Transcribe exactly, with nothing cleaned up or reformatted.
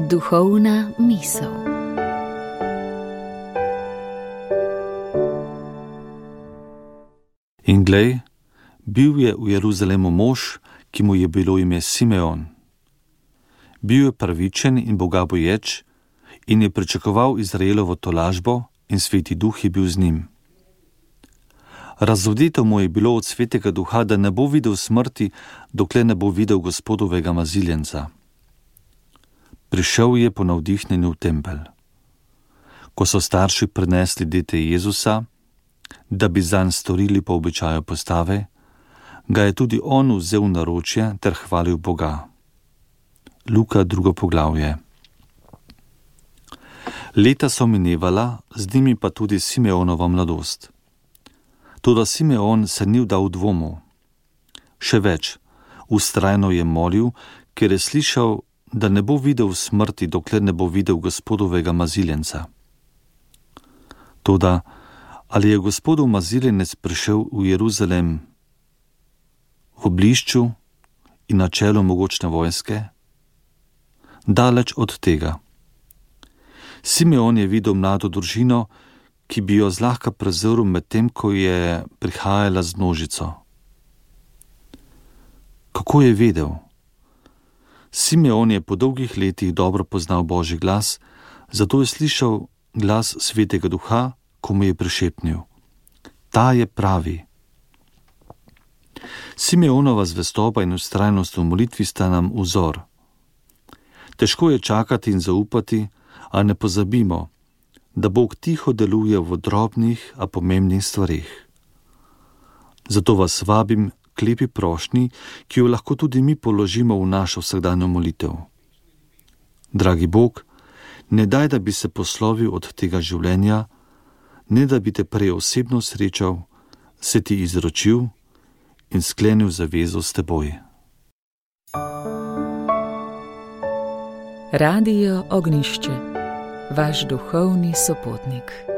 Duhovna misel. In glej, bil je v Jeruzalemu mož, ki mu je bilo ime Simeon. Bil je pravičen in bogaboječ in je pričakoval Izraelovo tolažbo in Sveti Duh je bil z njim. Razodito mu je bilo od Svetega Duha, da ne bo videl smrti, dokler ne bo videl Gospodovega maziljenca. Prišel je po navdihnjenju v tempelj. Ko so starši prinesli dete Jezusa, da bi zanj storili po običaju postave, ga je tudi on vzel v naročje ter hvalil Boga. Luka drugo poglavje. Leta so minevala, z njimi pa tudi Simeonova mladost. Toda Simeon se ni vdal dvomu. Še več, vztrajno je molil, ker je slišal, da ne bo videl smrti, dokler ne bo videl Gospodovega maziljenca. Toda, ali je Gospodov maziljenec prišel v Jeruzalem v blišču in na čelu mogočne vojske? Daleč od tega. Simeon je videl mlado družino, ki bi jo zlahka prezrl med tem, ko je prihajala z množico. Kako je vedel? Simeon je po dolgih letih dobro poznal Božji glas, zato je slišal glas Svetega Duha, ko mu je prišepnil: Ta je pravi. Simeonova zvestoba in vztrajnost v molitvi sta nam vzor. Težko je čakati in zaupati, a ne pozabimo, da Bog tiho deluje v drobnih, a pomembnih stvareh. Zato vas vabim k lepi prošnji, ki jo lahko tudi mi položimo v našo vsakdanjo molitev. Dragi Bog, ne daj, da bi se poslovil od tega življenja, ne da bi te prej osebno srečal, se ti izročil in sklenil zavezo s teboj. Radio Ognjišče, vaš duhovni sopotnik.